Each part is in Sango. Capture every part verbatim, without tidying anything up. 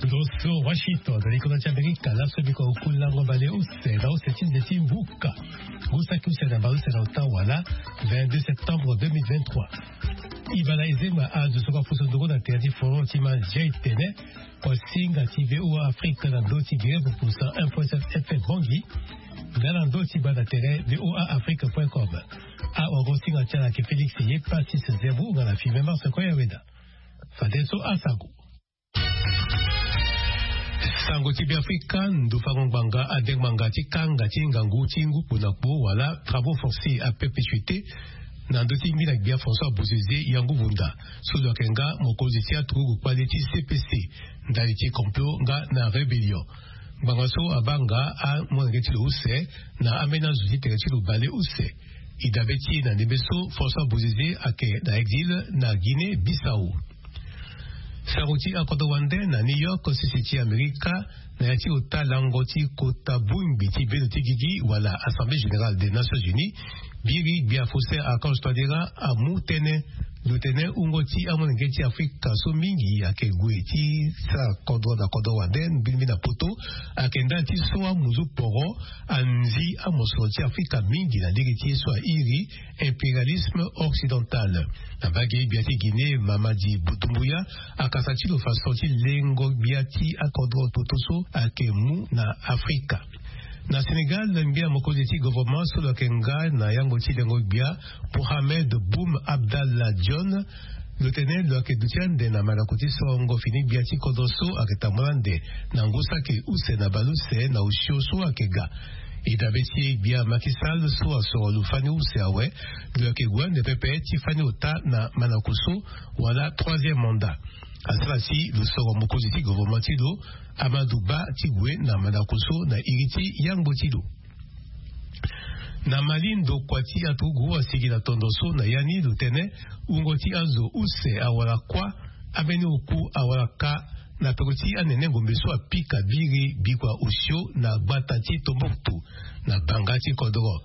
Ndo so Washington na likonda ti Amerika, laso biko oku lango bale use na use ti nze ti mbuka. Ngu saki use na bale use na ota wala vingt-deux septembre deux mille vingt-trois. Ibala ezema azo so ka fuso ndongo na tere ti forum ti manzia etene. Kosinga ti V O A Afrique na ndo ti grève pour cent un point sept F M Bangui. Nga na ndo ti banda tere V O A Afrique point com. Awa go singa ti ala ke Félix ye Pacis Zerbo nga na filme Mars Koya Weda. Fadeso asango. Sango ti Beafrika, ndo fango ngbanga ade ngbanga ti kanga ti ngangu ti ngu kpo na kpo wala travaux forcés à perpétuité na ndo ti ngbina gbia François Bozizé Yangu Vunda, so lo yeke nga mokonzi ti aturugu kpale ti C P C, ndali ti complot nga na rébellion. Ngbanga so abaa nga amolenge ti lo use na ambeni azo ti tere ti lo bale use. E dabe ti e na ndembe so François Bozizé ayeke na exil na Guinée Bissau. Sango ti akodro wande na New York, sese ti Amerika, na ya ti ota lango ti kota bongbi ti bendo ti gigi wala Assemblée Générale des Nations Unies, biri gbia Faustin Archange Touadéra amu tënë. Lo tene wungo ti amolenge ti Afrika so mingi ayeke gue ti sara kodro na kodro wande mbirimbiri na poto, ayeke ndali ti so amuzu poro anzi amosoro ti Afrika mingi na lege ti ye so airi impérialisme occidental. Na mbage gbia ti Guinée, Mamadi Doumbouya akasa ti lo faso ti lengo gbia ti akodro toto so ayeke mu na Afrika. Na Sénégal, ngbia mokonzi ti gouvernement so lo yeke nga na yango ti lengo gbia, Mohamed Boun Abdallah Dionne, lo tene lo yeke duti ande na mandako ti sorongo fini gbia ti kodro so ayeke tambula ande na ngu saki use na bale use na osio so ayeke ga. E dabe ti e gbia Macky Sall so asoro lo fani use awe, lo yeke gue ande pepe ti fani ota na mandako so wala troisième mandat. Asara si lo soro mokonzi ti gouvernement ti lo, Amadou Ba, ti gue na mandako so na iri ti yangbo ti lo. Na Mali, ndokua ti aturugu asigi na tondo so na ya ni lo tene wungo ti azo use awara kuâ, ambeni oku awara ka na peko ti anene ngombe so apika biri bikua osio na gbata ti Tombouctou, na banga ti kodro.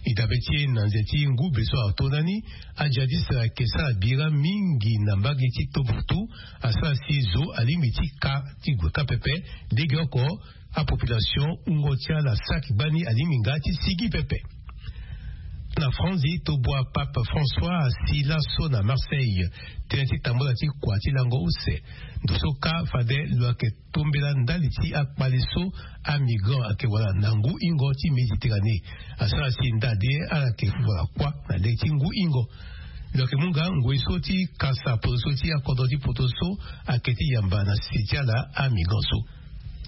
E dabe ti e na nze ti ngube so ato ndani, ajihadiste ayeke sara bira mingi na mbage ti Tombouctou, asara si zo alingbi ti ka ti gue ka pepe, legeoko apopulation wungo ti ala saki gbani alingbi nga ti sigi pepe. Na Franzi, tobua Pape François asi laso na Marseille tënë ti tambula ti kua ti lango use. Ndo so kâ fade lo yeke tombela ndali ti akpale so amigrant ayeke wara na ngu hingo ti Méditerranée. Asara si ndade ala yeke wara kuâ na lege ti ngu hingo. Lo yeke mu nga ngoi so ti kasa potoso ti akodro ti poto so ayeke ti yamba na sese ti ala amigrant so.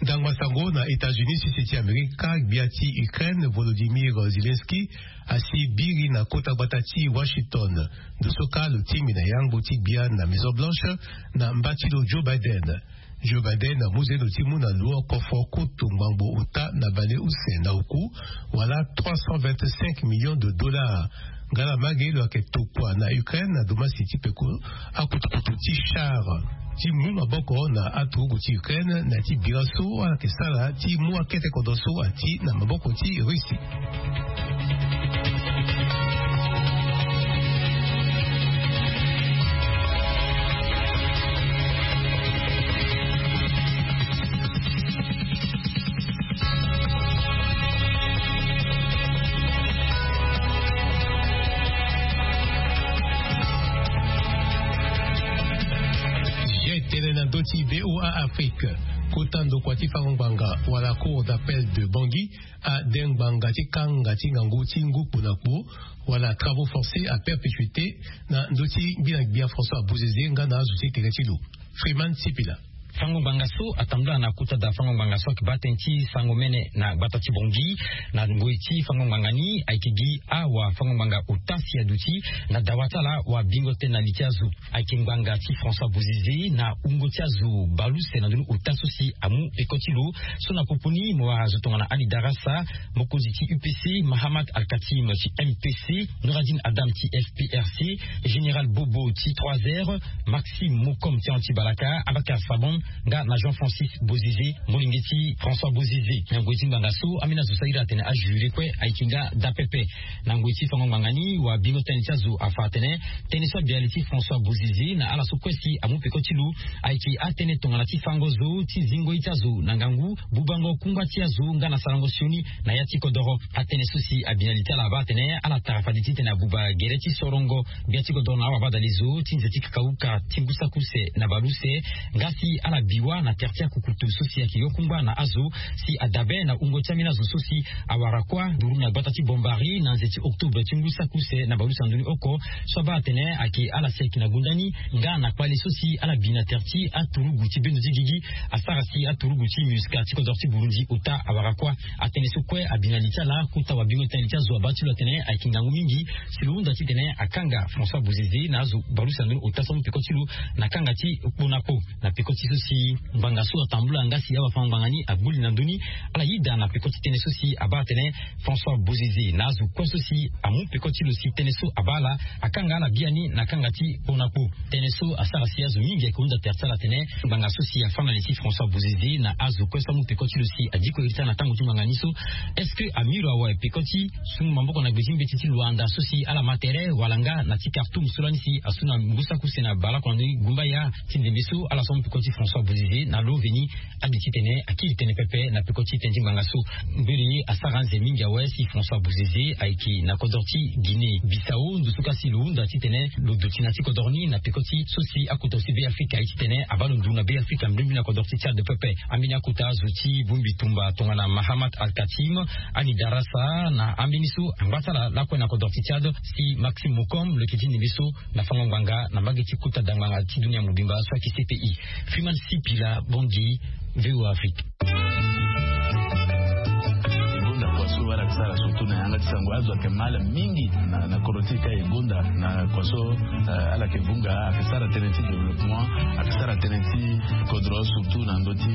Ndangba sango na États-Unis, sese ti Amerika, gbia ti Ukraine Volodymyr Zelensky asi biri na kota gbata ti Washington. Ndo so kâ lo tingbi na yangbo ti gbia na Maison Blanche na mba ti lo Joe Biden. Joe Biden amu zendo ti mu na lo kofo kutu ngbangbo ota na bale use na oku, wala trois cent vingt-cinq millions de dollars. Nga na mbage lo yeke tokua na Ukraine na domasi ti peko akutukutu ti char ti mu maboko na aturugu ti Ukraine na ya ti bira so ala yeke sara ti mu akete kodro so ati na maboko ti Russie. Tene na ndö ti V O A Afrique, kota ndokua ti fango ngbanga wala Cour d'appel de Bangui ade ngbanga ti kanga ti ngangu ti ngu kpo na kpo, wala travaux forcés à perpétuité, na ndö ti ngbina gbia François Bozizé nga na azo ti tere ti lo. Freeman Sipila. Fango ngbanga so atambula na kota da fango ngbanga so ayeke baa tënë ti sango mene na gbata ti Bangui. Na ngoi ti fango ngbanga ni ayeke gi awa fango ngbanga ota si aduti na dawa ti ala wabingo tënë na li ti azo. Ayeke ngbanga ti François Bozizé na wungo ti azo baleuse na ndoni ota so si amu peko ti lo. So na popo ni mo wara zo tongana Ali Darassa, mokonzi ti U P C, Mahamat Al-Katim ti M P C, Nouradine Adam ti F P R C, Général Bobo ti trois R, Maxime Mokom ti Anti-Balaka, Abakar Sabon Nga na jean francis bozize, molenge ti françois bozize. Na ngoi ti ngbanga so ambeni azo so ahiri atene ajuri kue ayeke nga daa pepe. Na ngoi ti fango ngbanga ni wabingo tënë ti azo afa atene tënë so abi na li ti françois bozize na ala so kue si amu peko ti lo ayeke atënë tongana ti fango zo ti zingo ye ti azo na ngangu, bubango kungba ti azo nga na sarango sioni na ya ti kodoro. Atënë so si abi na li ti ala abaa atene ala tara fade titene abuba gere ti sorongo gbia ti kodoro na awabadalezo ti nze ti kakauka ti ngu saki use na baleuse. Nga si ala bi wâ na tere ti akukutu so si ayeke yo kungba na azo si adabe na wungo ti ambeni azo so si awara kuâ nduru na gbata ti bombari na nze ti octobre ti ngu saki use na baleuse na ndoni oko. So abaa atene ayeke ala si ayeke na gunda ni nga na kpale so si ala bi na tere ti aturugu ti bendo ti gigi asara si aturugu ti musca ti kodoro ti burundi ota awara kuâ. Atënë so kue abi na li ti ala kota wabingo ti na li ti azo abaa ti lo atene ayeke ngangu mingi si lo hunda titene akanga françois bozize na azo baleuse na ndoni ota so amu peko ti lo na kanga ti kpo na kpo. Na peko ti so si ngbanga so atambula nga si awafango-ngbanga ni agbu li na ndö ni ala yeda na peko ti tënë so si abaa atene françois bozize na azo kue so si amu peko ti lo si tënë so abaa ala akanga ala biani na kanga ti kpo na kpo. Tënë so asara si azo mingi ayeke hunda tere ti ala atene ngbanga so si afâ na li ti françois bozize na azo kue so amu peko ti lo si adiko iri ti ala na tango ti ngbanga ni so est-ce que amiro awe peko ti sungu maboko na gbe ti mbeti ti luanda so si ala ma tere wala nga na ti kartoum so lani si asu na ngu saki use na baleoko na ndoni gumbaya ti ndembe so ala so amu peko ti françois bozize na lo veni. Abi titene akiri tënë pepe na peko ti tënë ti ngbanga so. Mbeni asara anze mingi awe si françois bozize ayeke na kodro ti guinée bissau ndo so ka si lo hunda titene lo duti na ti kodro ni na peko ti so si akota zo ti be afrika aye titene abaa lo nduru na be afrika mbirimbi na kodro ti tchad pepe. Ambeni akota azo ti bongbi tumba tongana mahamat alkatim, ani darasa na ambeni so angba ti ala lakue na kodro ti tchad si maxime mokom lo yeke ti ndembe so na fango ngbanga na mbage ti kota dangbanga ti dunia mobimba so ayeke cpi. Freeman sipila, bongi. Voa afrique. Gonda kua so ala yeke sara surtout na yanga ti sango azo ayeke mal mingi na kodro ti e ka e gonda na kua so ala yeke vunga ayeke sara tënë ti développement, ayeke sara tënë ti kodro surtout na ndö ti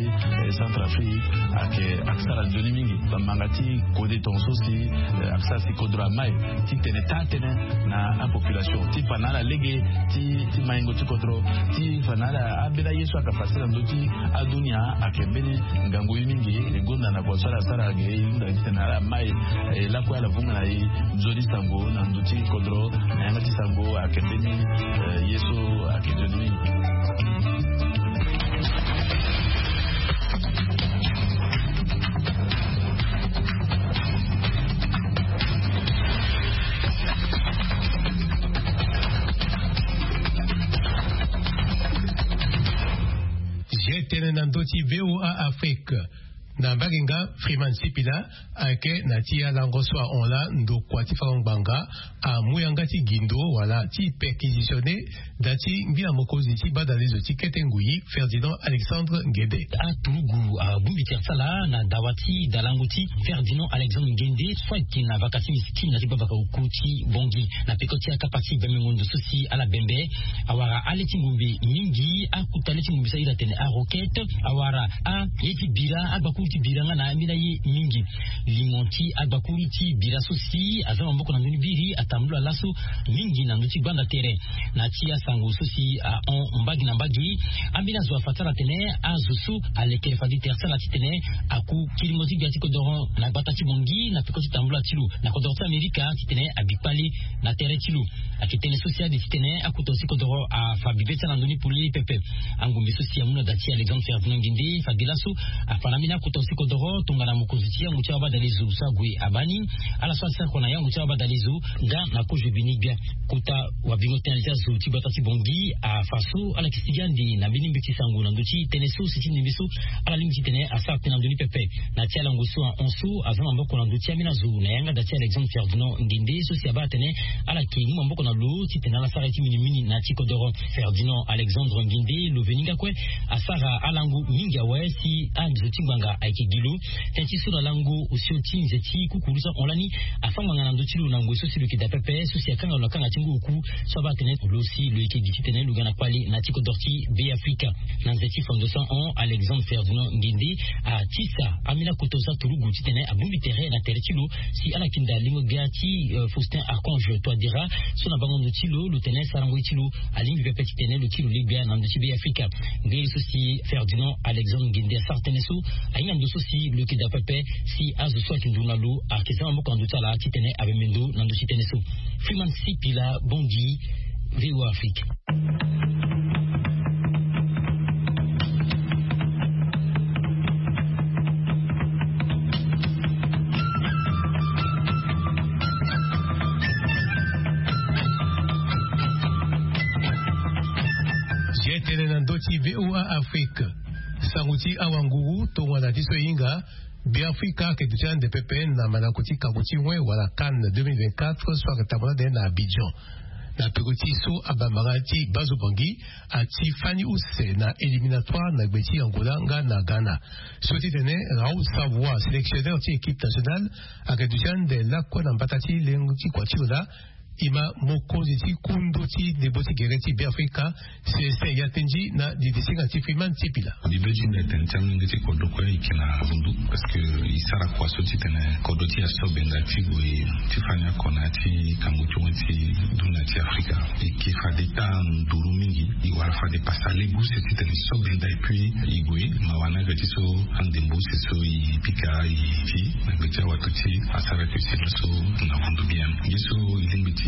centre afrique. Ayeke ayeke sara nzoni mingi bamanga ti kode tongaso si ayeke sara si kodro amai titene taa tënë na apopulation ti fa na ala lege ti maingo ti kodro ti fa na ala ambeni aye so ayeke fasi na ndö ti adunia. Ayeke mbeni ngangu ye mingi e gonda na kua so ala sara ge e hunda titene ala mai e lakue ala vunga na e nzoni sango na ndö ti kodro na yanga ti sango ayeke mbeni ye so ayeke nzoni mingi. Zia tënë na ndö ti voa afrique. Na mbage nga freeman sipila ayeke na ti alango so ahon laa ndokua ti fango ngbanga amu yanga ti gindo wala ti perquisitionner da ti ngbia mokonzi ti badalezo ti kete ngui ferdinand alexandre ngede. Aturugu abongbi tere ti ala na dawa ti dalango ti ferdinand alexandre ngende so ayeke na vaka ti miskine na ti gbabaka oku ti bongi na peko ti akapa ti bembengo ndo so si ala bembe awara ale ti ngombe mingi akuta le ti ngombe so ahiri atene aroquete awara aye ti bira agbakuru ti bira nga na ambeni aye mingi. Limo ti agbakuru ti bira so si aza maboko na ndoni biri atambula laso mingi na ndö ti gbanda tere. Na ti asango so si ahon mbage na mbage ambeni azo afa ti ala atene azo so alekere fade tere ti ala titene aku kiringo ti gbia ti kodoro na gbata ti bongi na peko ti tambula ti lo na kodoro ti amerika titene abi kpale na tere ti lo. Ayeke tënë so si ade titene akota zo ti kodoro afa bibe ti ala na ndö ni polele pepe. Angombe so si amu na da ti alexandre ferdinand ngende fade laso afa na ambeni akota zo ti kodoro tongana mokonzi ti yango ti awabadalezo so ague abaa ni ala so asara kua na yango ti awabadalezo nga na kozo bini gbia. Kota wabingo tënë ti azo ti gbata ti bongi afa so ala yeke sigi ande na mbeni mbeti sango na ndö ti tënë so si ti ndembe so ala lingbi titene asara tënë na ndö ni pepe. Na ti alango so ahon so aza na maboko na ndö ti ambeni azo na yanga da ti alexandre ferdinand ngende so si abaa atene ala yeke mu maboko na lo titene ala sara ye ti minimini na ya ti kodoro. Ferdinand alexandre ngende lo veni nga kue asara alango mingi awe si azo ti ngbanga Ayeke gi lo tënë ti so na lango osio ti nze ti kukuru so ahon lani, afâ ngbanga na ndö ti lo na ngoi so si lo yeke daa pepe so si akanga lo na kanga ti ngu oku. So abaa atene lo si lo yeke gi titene lo ga na kpale na ya ti kodro ti Beafrika. Na nze ti fondation ahon, Alexandre Ferdinand Nguende atisa amina koto so aturugu titene abongbi tere na tere ti lo si ala yeke daa lingo gbia ti Faustin Archange Touadéra, so na bango ndo ti lo lo tene sarango ye ti lo alingbi pepe titene lo kiri lo le gbia na ndö ti Beafrika. Nge so si Ferdinand Alexandre Nguende asara tënë so ahinga ndo so si lo yeke daa pepe si azo so ayeke nduru na lo ayeke za maboko na ndö ti ala titene amembe ndo na ndö ti tënë so. Freeman Sipila, Bangui, VOA Afrique. Ye tene na ndö ti VOA Afrique. Sango ti awanguru tongana ti so e hinga, Beafrika ayeke duti ande pepe na mandako ti kango ti wen wala CAN deux mille vingt-quatre so ayeke tambula ande na Abidjan. Na peko ti so abambanga ti Bazo Bangui ati fani use na éliminatoire na gbe ti Angola nga na Ghana. So titene Raoul Savoie, sélectionneur ti équipe nationale, ayeke duti ande lakue na mbata ti lengo ti kua ti lo laa, e ma mokonzi ti kundu ti ndembo ti gere ti Beafrika, Célestin Yatenji, na didisinga ti Freeman Sipila. Mbi be ti nde tene ti amolenge ti kodro kue e yeke na avundu, parce que e sara kua so titene kodro ti e aso benda ti gue ti fani oko na ya ti kango ti wen ti dunia ti Afrika. E yeke fade taa nduru mingi, e wara fade pasa lege use titene e so benda, et puis e gue mawa ni ayeke ti so andembo use so e pika e ti na gbe ti awato ti e asara yeke si laso na vundu bien. Ye so e lingbi ti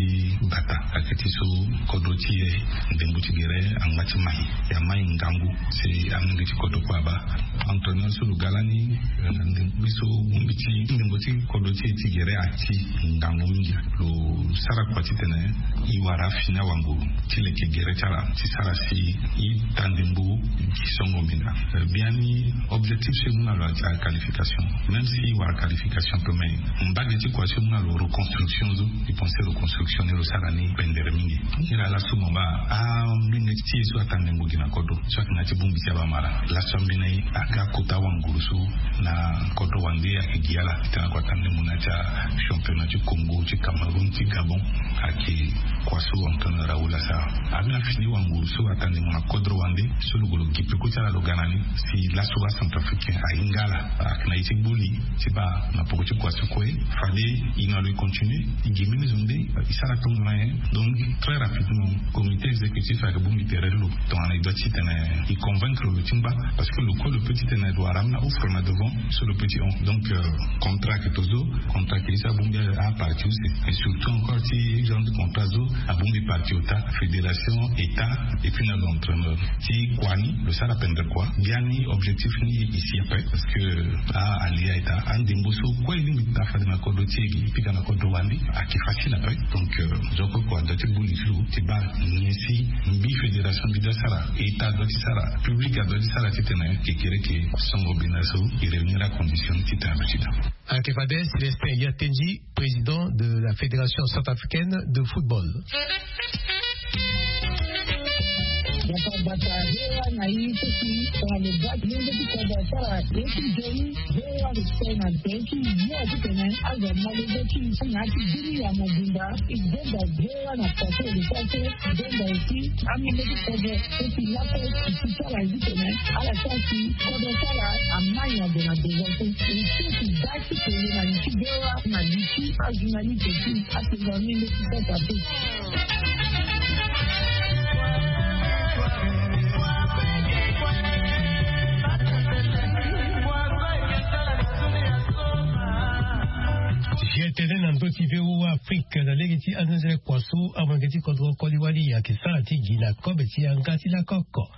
bata ayeke ti so kodro ti e ndembo ti gere angba ti mai, e amai ngangu si amolenge ti kodro kue abaa. Entraîneur so lo ga lani, eh, na ndembo so bongbi ti ndembo ti kodro ti e ti gere ati ngangu mingi. Lo sara kua titene e wara fini awanguru ti leke gere ti ala ti sara si e taa ndembo gi songo mbinda. Eh, biani objectif so e mu na lo ati qualification. Même si e wara qualification ape, mais mbage ti kua so e mu na lo reconstruction so, e pense reconstruction ni lo sara ni pendere mingi. Nilaa laso mo baa amolenge ti e so ataa ndembo gi na kodro so ayeke na ya ti bongbi ti abamara, laso ambeni aga kota wanguru so na kodro wande ayeke gi ala titene ako ataa ndembo na ya ti achampionnat ti Congo, ti Cameroun, ti Gabon. Ayeke kua so entraîneur Raoul asara. Ambeni afini wanguru so ataa ndembo na kodro wande so lo gue lo gi peko ti ala lo ga na ni. Si laso acentrafricain ahinga ala, ayeke na ye ti gbu li ti baa na poko ti kua so kue fade e na lo e continue, e gi mbeni zo nde e sara tongana nyen. Donc très rapidement comité exécutif ayeke bongbi tere ti lo tongana e doit titene e convaincre lo ti ngba, parce que lo kue lo peut titene lo wara ambeni offre na devant so lo peut ti hon. Donc, euh, contrat ayeke tozo, contrat ayeke ye so abongbi aparti use, et surtout encore ti genre de contrat so abongbi parti ota, fédération, état, et puis na lo entraîneur. Ti kua ni lo sara pendere kua. Biani objectif ni e si ape, parce que, ah, alia eta andembo so kue e lingbi ti taa fade na kodro ti e gi e pika na kodro wande ayeke facile ape. Donc, euh, zo kue kua adoit ti gbu li ti lo ti baa nyen si mbi fédération mbi doit sara, état adoit ti sara, public adoit ti sara titene kekereke songo bena so e réunir acondition titene aduti daa. Ayeke fade Célestin Yatenji, président de la Fédération centrafricaine de football. Bata bata, V O A na ye ti si tongana lo baa ti lenge ti kodro asara ye ti nzoni, V O A lo sere na nze ti yo titene azo amolenge ti na ya ti bini ya mobimba. E zonza V O A na kua so lo sara so, e zonza aussi amolenge ti kodro so si lakue e si sara ye titene ala sara si kodro ti ala amai na gue na devant so. E so si baa ti tene na li ti V O A na li ti ajournaliste ti atonga amolenge ti kodro ape. Ye tene na ndö ti V O A Afrique na lege ti anzenzele kua so amolenge ti kodro koli wali ayeke sara ti gi na kobe ti yanga ti lakoko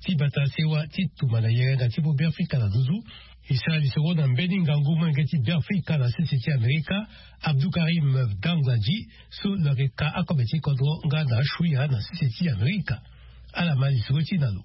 ti bata sewa ti tumba na yerenga ti Beafrika na nduzu. E sara lisoro na mbeni ngangu molenge ti Beafrika na sese ti Amerika, Abdou Karim Dangadji, so lo yeke ka akobe ti kodro nga na ashuya na sese ti Amerika. Ala ma lisoro ti e na lo.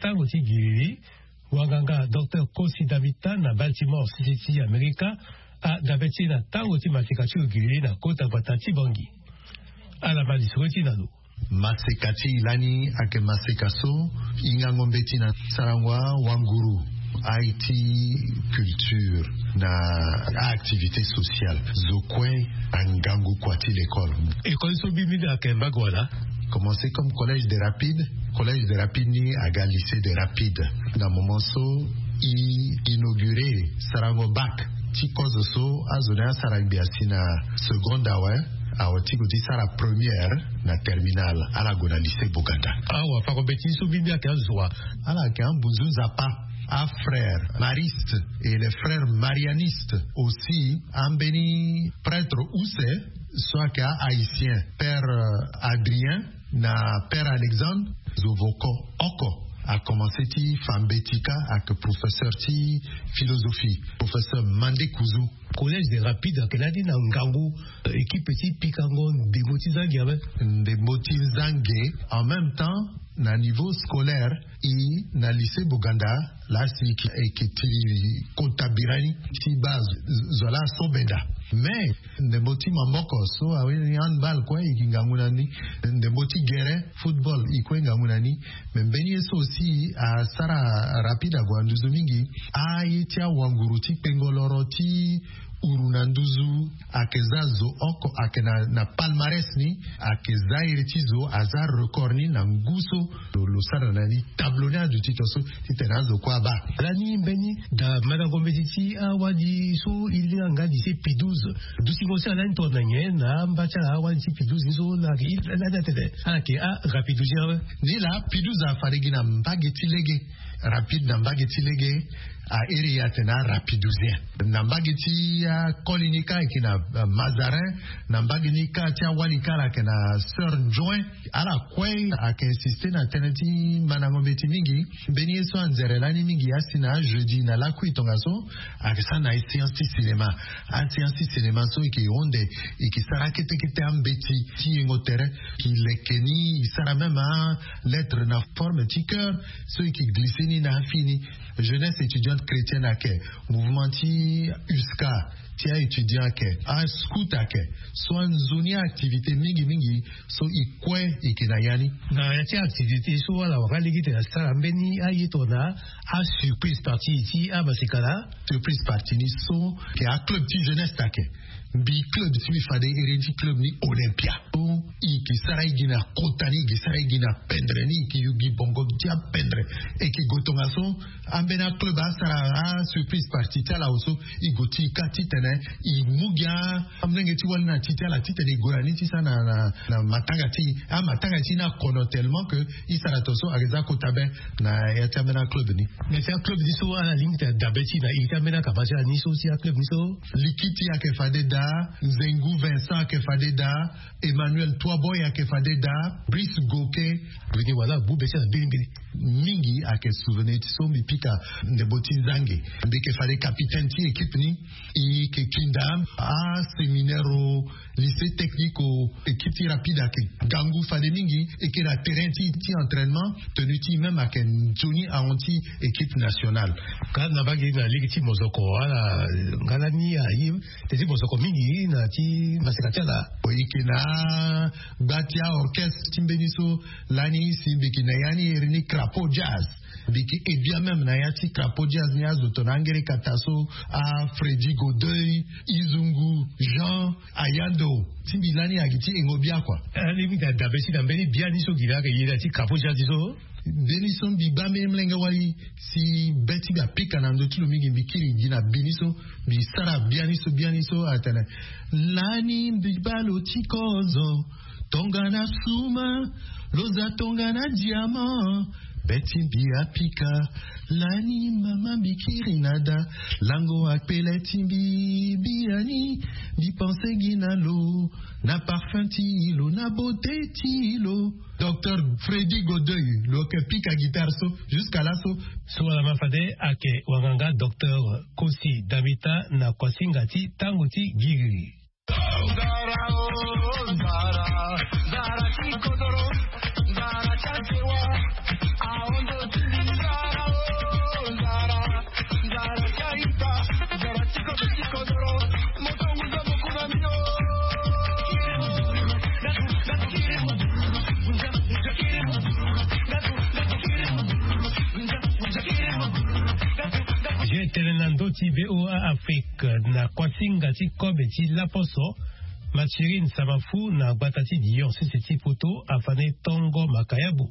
tango ti giriri. Wanganga docteur Kosi Damita na Baltimore, sisi ti Amerika, adabe ti e na tango ti maseka ti lo giriri na kota gbata ti Bangi. Ala ma lisoro ti na lo. Maseka ti e lani ayeke maseka so hingango mbeti na sarango awanguru, aye ti culture na a-activité sociale zo kue na ngangu kua ti l'école. École so mbi mbi ayeke mbage wala? Commencé comme collège de rapide. Collège de rapide ni aga lycée de rapide. Na moment so i inauguré sarango bac ti kozo so azo ni asara gbia si na seconde awe, awe ti gue ti sara première na terminale, ala gue na lycée Boganda. Awa pako mbeti so mbi mbi ayeke azo wa? Ala ayeke ambunzu nzapa, afrère mariste et les frères marianistes aussi, ambeni prêtre use so ayeke a-haïtien, père euh, Adrien na père Alexandre, zo voko oko. Akomanse ti fa mbeti kâ, ayeke professeur ti philosophie, professeur Mande Kuzu. Collège de rapide ayeke lani na ngangu euh, équipe ti pikango ndembo ti zange awe. Ndembo ti zange. En même temps, na niveau scolaire, i na lycée Boganda, laa si e yeke tiri kota birani ti baa zo laa so benda. Mais ndembo ti maboko so awe ni handball kue e yeke ngangu na ni. Ndembo ti gere football e kue ngangu na ni. Mais mbeni ye so aussi asara rapide ague na nduzu mingi. Aye ti awanguru ti kpengo loro ti uru na nduzu ayeke za zo oko ayeke na palmarès ni. Ayeke za iri ti zo aza record ni na ngu so lo sara na ni tableau ni aduti to so titene azo kue abaa. Lani mbeni da mandango mbeti ti awali so e linga nga lycée Pidouze. Dutingo ti ala lani tongana nyen na amba ti ala awali ti Pidouze ni so lani atene ala yeke arapidouze awe? Ni laa Pidouze afade gi na mbage ti lege. Rapide na mbage ti lege. A iri e atene arapidouze na mbage ti Akoli ni kâ ayeke na mazarin. Na mbage ni kâ ti awali kâ ala yeke na sœur join. Ala kue ayeke insiste na tënë ti mandango mbeti mingi. Mbeni ye so anzere lani mingi asi na ajeudi na lakui tongaso, ayeke sara na aséance ti cinéma. Aséance ti cinéma so eke honde eke sara kete kete ambeti ti yengo tere. Ki leke ni e sara même alettre na forme ti cœur so eke glisse ni na afini. Jeunesse étudiante chrétienne ayeke, mouvement ti uska ti aétudiant ayeke, ascout ayeke. So anzoni activité mingi mingi so e kue eke na ya ni. Na ya ti activité so ala waka lege ti tene asara mbeni aye tongana asurprise partie ti amasika laa. Surprise partie ni so ke aclub ti jeunesse ayeke. Mbi club ti mbi fade iri ti club ni olympia. E ke sara e gi na kota ni e ke sara e gi na pendre ni e ke yugi bongo dia pendre. E ke go tongaso ambeni aclub asara asurprise partie ti ala oso. E go ti e kâ titene e mu gi amolenge ti wali na ti ti ala titene e go na ni ti sara na matanga ti e. Amatanga ti e ni akono tellement ke e sara tongaso ayeke za kota be. Na ya ti ambeni aclub ni. Mais ti aclub ni so ala lingbi tena dabe ti na iri ti ambeni akama ti ala ni so ti aclub ni so. Likiti ayeke fade daa. Nzengu Vincent ayeke fade daa. Emmanuel Toiboy ayeke fade daa. Brice Goke. Veni wala abu be ti ala mbeni mbeni. Mingi ayeke souvenir ti so mbi pika. Ndembo ti zange mbi yeke fade capitaine ti équipe ni. E yeke kinda aséminaire o lycée technique o. Équipe ti rapide ayeke gangu fade mingi. E yeke na terrain ti ti entraînement. Tenue ti même ayeke nzoni ahon ti équipe nationale. Ka na mbage na lege ti mozoko ala nga lani aye. Te ti mozoko mingi na ti maseka ti ala. E yeke na gba ti aorchestre ti mbeni so. Lani si mbi yeke na ya ni iri ni crapaud jazz. Mbi yeke e bia même na ya ti crapaud jazz ni azo tongana angere kata so. Afredi godeuil, izungu, jean, ayando. Ti mbi lani ayeke ti engo bia kua. Lani mbi ga dabe ti na mbeni bia ni so gi na ayeke yeda ti crapaud jazz ni so. Mbeni so mbi baa mbeni molenge wali si be ti mbi apika na ndö ti lo mingi mbi kiri gi na bi ni so. Mbi sara bia ni so bia ni so atene. Lani mbi baa lo ti kozo. Tongana suma lo za tongana diamant. Be ti mbi apika. Lani mama mbi kiri na da. Lango akpele ti mbi biani. Mbi pense gi na lo. Na parfum ti lo na beauté ti lo. Docteur Freddy Godeuil lo yeke pika guitare so. Jusqu'à laso. So wala ma fade ayeke wanganga docteur Kosi Damita na kuasinga ti tango ti giriri. Je tene na ndö ti VOA Afrique na kuasinga ti kobe ti laposo. Mathurin Samafu na gbata ti Dion sese ti poto afane tongo makayabo.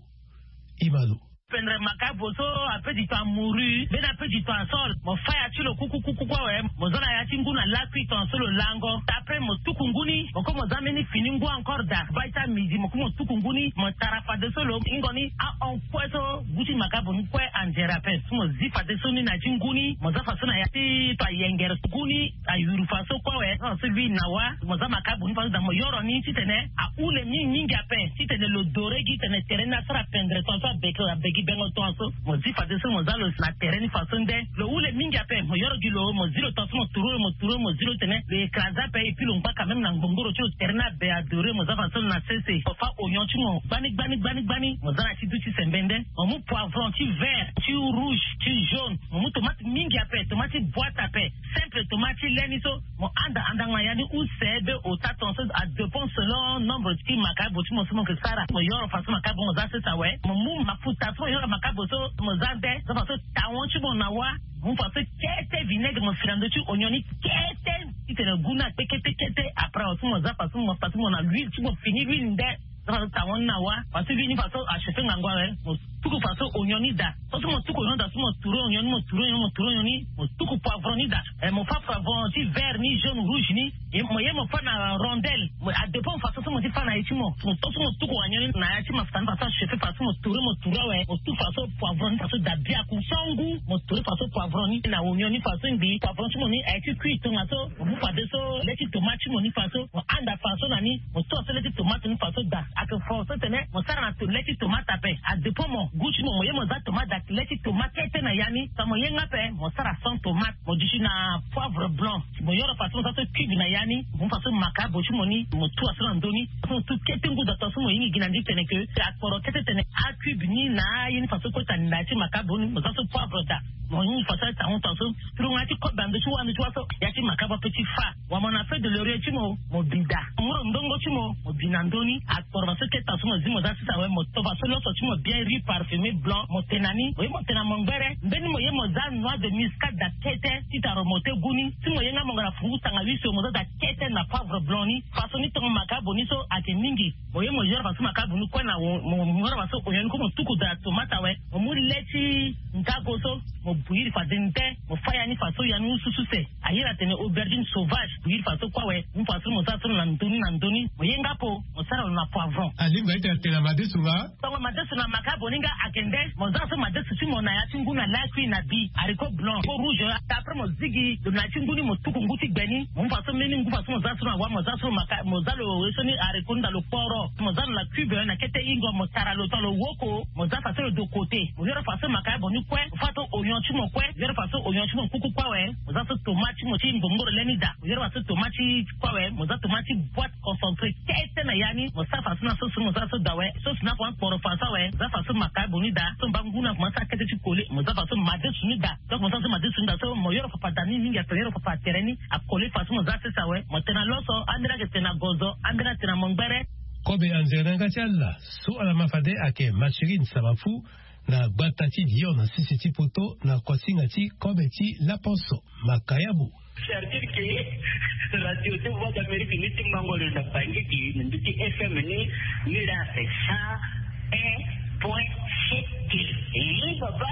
Imalo. Pendre makabo so ape du temps amouru mbeni ape du temps asol mo faya ti lo kukukuku awe. Mo za na ya ti ngu na lakui tonga so lo lango. Après mo tuku ngu ni mo kue mo za mbeni fini ngu encore da bai ti amidi mo kue mo tuku ngu ni mo tara fadeso lo ingo ni ahon kue so gu ti makabo ni kue anzere ape. So mo zi fadeso ni na ya ti ngu ni mo za faso na ya ti to ayengere ngu ni. Ayuru faso kue awe. So lui na wa mo za makabo ni faso da mo yoro ni titene ahule mingi mingi ape titene lo dore gi tene tere ni asara pendre tonga so abeke abegi bengo tonga so. Mo zi fadeso mo za lo na tere ni faso nde lo hule mingi ape mo yoro gi lo mo zi lo tonga so mo turu lo mo turu lo mo zi lo tene lo écrase ape et puis lo ngba quand même na ngbongoro ti lo tere ni abe adore mo za faso na sese mo fa oignon ti mo gbani gbani gbani gbani mo za na ti du ti sembe nde. Mo mu poivron ti vert ti rouge ti jaune. Mo mu tomate mingi ape tomate ti boite ape. Simple tomate ti le ni so mo anda andanga ya ni use be ota tonga so adépend selon nombre ti makabo ti mo so mo yeke sara mo yoro faso makabo mo za sese awe. Mo mu mafuta so mo yoro makabo so mo za nde so faso tawon ti mo na wa. Mo mu faso kete vinaigre mo fi na ndö ti oignon ni kete titene gu ni akpe kete kete après awe so mo za faso mo faso mo na huile ti mo fini huile nde. So faso tawon ni na wa faso huile ni faso achauffe ngangu awe mo tuku fa so onion ni daa. So so mo tuku onion daa so mo tourner onion ni, mo tourner onion ni, mo tourner onion ni, mo tuku poivron ni daa. Eh, mo fa poivron ti vert ni, jaune, rouge ni. Mo ye mo fa na rondelle. Mo, a dépend fa so so mo ti fa na ye ti mo. Mo to so mo tuku onion ni na ya ti mafuta ni fa so achauffé, fa so mo tourner, mo tourner awe. Mo tuku fa so poivron ni fa so daa biaku. Sangu, mo tourner fa so poivron ni na onion ni fa so ngbii. Poivron ti mo ni aye ti kui tongaso. Mo mu fadeso le ti tomate ti mo ni fa so. Mo handa fa so na ni. Mo to so le ti tomate ni fa so daa. Ayeke fo so tene mo sara na to le ti tomate ape. A dépend mo goût ti mo. Mo ye mo za tomate daa, le ti tomate kete na ya ni. Sa mo ye nga ape, mo sara sans tomate. Mo duti na poivre blanc. Mo yoro fa so mo za so cube na ya ni. Mo mu fa so makabo ti mo ni, mo tua so na ndö ni. Fa so mo tu kete ngu daa, tongaso mo hinga gi na ndi tene ke akporo kete tene acube ni na aye ni fa so kota na ya ti makabo ni. Mo za so poivre daa. Mo hinga fa so atangu tongaso. Turongo ya ti kobe na ndö ti wâ, ndö ti wâ so ya ti makabo ape ti fa. Wala mo na feuille de laurier ti mo, mo bi daa. Mo mu lo ndongo ti mo, mo bi na ndö ni. Akporo fa so kete tongaso mo zi mo za sese awe, mo to fa so loso ti mo bien, riz parfumé blanc, mo tene na ni. Mo ye mo tene na mo ngbere. Mbeni mo ye mo za noix de muscade daa kete ti tara mo te gu ni. Si mo ye nga mo nga na fungu tanga huit so, mo za daa kete na poivre blanc ni. Fa so ni tongo makabo ni so ayeke mingi. Mo ye mo yoro fa so makabo ni kue na wo-, mo, mo yoro fa so onion ni kue mo tuku daa tomate awe. Mo mu le ti ngago so, mo bouillir fade nde, mo fa ya ni fa so ya ni mu susu se. A iri atene aubergine sauvage, bouillir fa so kue awe. Mu fa so mo za so na ndö ni na ndö ni. Mo ye nga po, mo sara lo na poivron. Alingbi ayeke atene na madesu nga? Tongo madesu na makabo ni nga ayeke nde, mo za so madesu ti mo na ya ti ngu na lakui na bi, haricot blanc, haricot rouge, après mo zigi lo na ya ti ngu ni, mo tuku ngu ti gbe ni, mo mu fa so mbeni ngu fa so mo za so na wâ, mo za so maka-, mo za lo ye so ni haricot ni daa lo kporo, mo za lo na cube na kete ingo, mo tara lo tonga lo woko, mo za fa so lo de côté, mo yoro fa so makabo ni kue, mo fa so onion ti mo kue, yoro fa so onion ti mo kuku kue awe, mo za so tomate ti mo ti mbombo lo le ni daa, mo yoro fa so tomate ti kue awe, mo za tomate ti boîte concentré kete na ya ni, mo sara fa so na sauce, mo za so daa awe. Sauce ni akoma kporo fa so awe, mo za fa so makabo ni daa. So mba ngu ni akoma sara kete ti kole, mo za fa so madesu ni daa. Donc mo za so madesu ni daa so mo yoro papa daa ni mingi, ape yoro papa tere ni akole fa so mo za sese awe. Mo tene na loso, ambeni ayeke tene na gozo, ambeni atene na mo ngbere. Kobe anzere na yanga ti ala so ala ma fade ayeke Mathurin Samafu, na gbata ti Lyon na sese ti poto, na kuasinga ti kobe ti laposo. Makayabu. C'est-à-dire que radio ti Voix d'Amérique ni ti mango lo na Bangui, na mbi ti F M ni, ni la c'est cent un point sept. Eh, papa.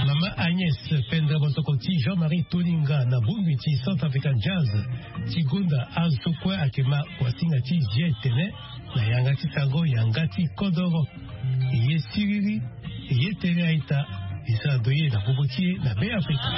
Mama Agnès Penda Bosoko ti Jean-Marie Toninga na bongbi ti Centrafrican Jazz ti gonda azo so kue ayeke ma kuasinga ti zi etene na yanga ti sango, yanga ti kodoro. Ye siriri, ye tere a-ita. E sara doye na popo ti e na Be Afrika.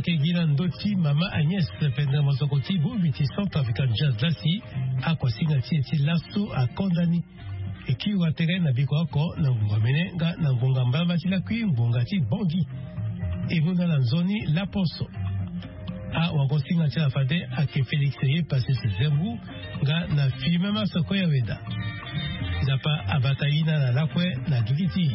Kegi na ndö ti mama Agnès pendere mosoko ti bongbi ti Centrafrican Jazz lasi, ako asinga ti e ti laso akonda ni. E kiri wa tere na biko oko na ngbonga mene nga na ngbonga mbalamba ti lakui ngbonga ti bongi. E gonda na nzoni laposo. Awagosinga ti ala fade ake Félix ye pase si zengu nga na filme masoko ya weda. Nzapa abata ina na lakue na gigi ti.